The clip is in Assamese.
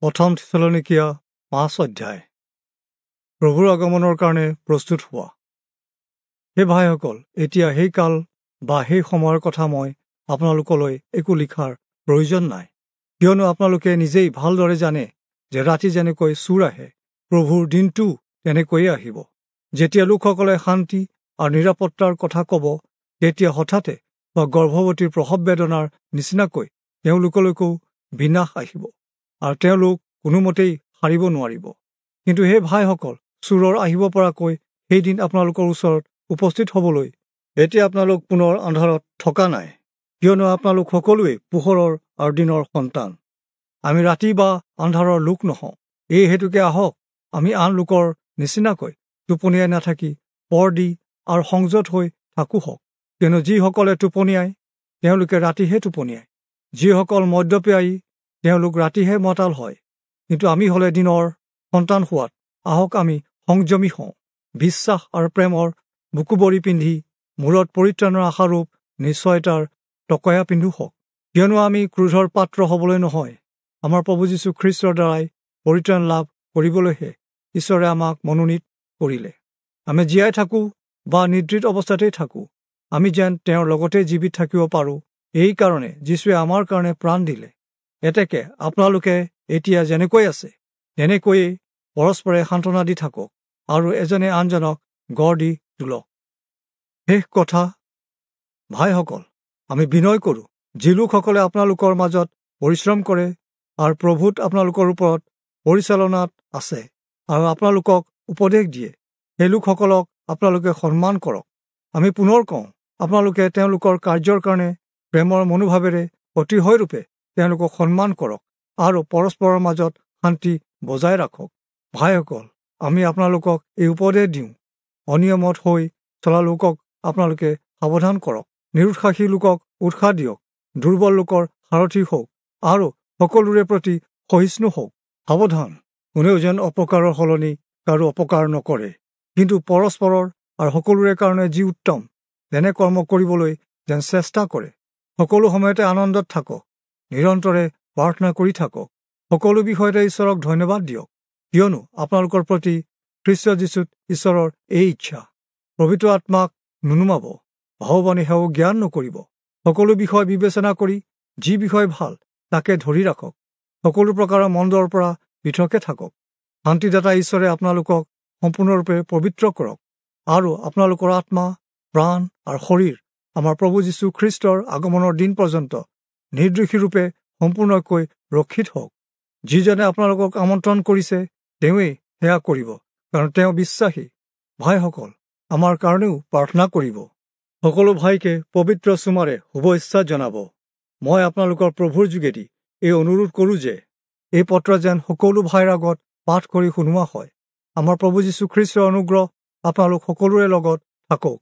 প্ৰথম থিচলনীকীয়া 5 অধ্যায়। প্ৰভুৰ আগমনৰ কাৰণে প্ৰস্তুত হোৱা। হে ভাইসকল, এতিয়া সেই কাল বা সেই সময়ৰ কথা মই আপোনালোকলৈ একো লিখাৰ প্ৰয়োজন নাই, কিয়নো আপোনালোকে নিজেই ভালদৰে জানে যে ৰাতি যেনেকৈ চোৰ আহে, প্ৰভুৰ দিনটো তেনেকৈয়ে আহিব। যেতিয়া লোকসকলে শান্তি আৰু নিৰাপত্তাৰ কথা ক'ব, তেতিয়া হঠাতে বা গৰ্ভৱতীৰ প্ৰসৱ বেদনাৰ নিচিনাকৈ তেওঁলোকলৈকো বিনাশ আহিব আৰু তেওঁলোক কোনোমতেই সাৰিব নোৱাৰিব। কিন্তু হে ভাইসকল, চোৰৰ আহিব পৰাকৈ সেইদিন আপোনালোকৰ ওচৰত উপস্থিত হ'বলৈ এতিয়া আপোনালোক পুনৰ আন্ধাৰত থকা নাই, কিয়নো আপোনালোক সকলোৱেই পোহৰৰ আৰু দিনৰ সন্তান। আমি ৰাতি বা আন্ধাৰৰ লোক নহওঁ। এই হেতুকে আহক আমি আন লোকৰ নিচিনাকৈ টোপনিয়াই নাথাকি পৰ দি আৰু সংযত হৈ থাকোঁ হওক। কিয়নো যিসকলে টোপনিয়ায় তেওঁলোকে ৰাতিহে টোপনিয়ায়, যিসকল মদ্যপ্যায়ী তেওঁলোক ৰাতিহে মতাল হয়। কিন্তু আমি হ'লে দিনৰ সন্তান হোৱাত আহক আমি সংযমী হওঁ, বিশ্বাস আৰু প্ৰেমৰ বুকুবৰি পিন্ধি মূৰত পৰিত্ৰাণৰ আশাৰূপ নিশ্চয়তাৰ টকয়া পিন্ধো হওক। কিয়নো আমি ক্ৰোধৰ পাত্ৰ হ'বলৈ নহয়, আমাৰ প্ৰভু যীশু খ্ৰীষ্টৰ দ্বাৰাই পৰিত্ৰাণ লাভ কৰিবলৈহে ঈশ্বৰে আমাক মনোনীত কৰিলে। আমি জীয়াই থাকোঁ বা নিদ্ৰিত অৱস্থাতেই থাকোঁ, আমি যেন তেওঁৰ লগতে জীৱিত থাকিব পাৰোঁ, এইকাৰণে যীশুৱে আমাৰ কাৰণে প্ৰাণ দিলে। এতেকে আপোনালোকে এতিয়া যেনেকৈ আছে তেনেকৈয়ে পৰস্পৰে সান্তনা দি থাকক আৰু এজনে আনজনক গঢ় দি তোলক। শেষ কথা, ভাইসকল, আমি বিনয় কৰোঁ, যি লোকসকলে আপোনালোকৰ মাজত পৰিশ্ৰম কৰে আৰু প্ৰভুত আপোনালোকৰ ওপৰত পৰিচালনাত আছে আৰু আপোনালোকক উপদেশ দিয়ে, সেই লোকসকলক আপোনালোকে সন্মান কৰক। আমি পুনৰ কওঁ, আপোনালোকে তেওঁলোকৰ কাৰ্যৰ কাৰণে প্ৰেমৰ মনোভাৱেৰে অতিশয়ৰূপে তেওঁলোকক সন্মান কৰক আৰু পৰস্পৰৰ মাজত শান্তি বজাই ৰাখক। ভাইসকল, আমি আপোনালোকক এই উপদেশ দিওঁ, অনিয়মত হৈ চলা লোকক আপোনালোকে সাৱধান কৰক, নিৰুৎসাহী লোকক উৎসাহ দিয়ক, দুৰ্বল লোকৰ সাৰথি হওক আৰু সকলোৰে প্ৰতি সহিষ্ণু হওক। সাৱধান, কোনেও যেন অপকাৰৰ সলনি কাৰো অপকাৰ নকৰে, কিন্তু পৰস্পৰৰ আৰু সকলোৰে কাৰণে যি উত্তম তেনে কৰ্ম কৰিবলৈ যেন চেষ্টা কৰে। সকলো সময়তে আনন্দত থাকক, নিৰন্তৰে প্ৰাৰ্থনা কৰি থাকক, সকলো বিষয়তে ঈশ্বৰক ধন্যবাদ দিয়ক, কিয়নো আপোনালোকৰ প্ৰতি খ্ৰীষ্ট যীশুত ঈশ্বৰৰ এই ইচ্ছা। পবিত্ৰ আত্মাক নুনুমাব, ভাৱবাণী সেও জ্ঞান নকৰিব। সকলো বিষয় বিবেচনা কৰি যি বিষয় ভাল তাকে ধৰি ৰাখক। সকলো প্ৰকাৰৰ মন্দৰ পৰা পৃথকে থাকক। শান্তিদাতা ঈশ্বৰে আপোনালোকক সম্পূৰ্ণৰূপে পবিত্ৰ কৰক আৰু আপোনালোকৰ আত্মা, প্ৰাণ আৰু শৰীৰ আমাৰ প্ৰভু যীশু খ্ৰীষ্টৰ আগমনৰ দিন পৰ্যন্ত নিৰ্দোষীৰূপে সম্পূৰ্ণকৈ ৰক্ষিত হওক। যিজনে আপোনালোকক আমন্ত্ৰণ কৰিছে তেওঁৱেই সেয়া কৰিব, কাৰণ তেওঁ বিশ্বাসী। ভাইসকল, আমাৰ কাৰণেও প্ৰাৰ্থনা কৰিব। সকলো ভাইকে পবিত্ৰ চুমাৰে শুভেচ্ছা জনাব। মই আপোনালোকৰ প্ৰভুৰ যোগেদি এই অনুৰোধ কৰোঁ যে এই পত্ৰ যেন সকলো ভাইৰ আগত পাঠ কৰি শুনোৱা হয়। আমাৰ প্ৰভু যীশু খ্ৰীষ্টৰ অনুগ্ৰহ আপোনালোক সকলোৰে লগত থাকক।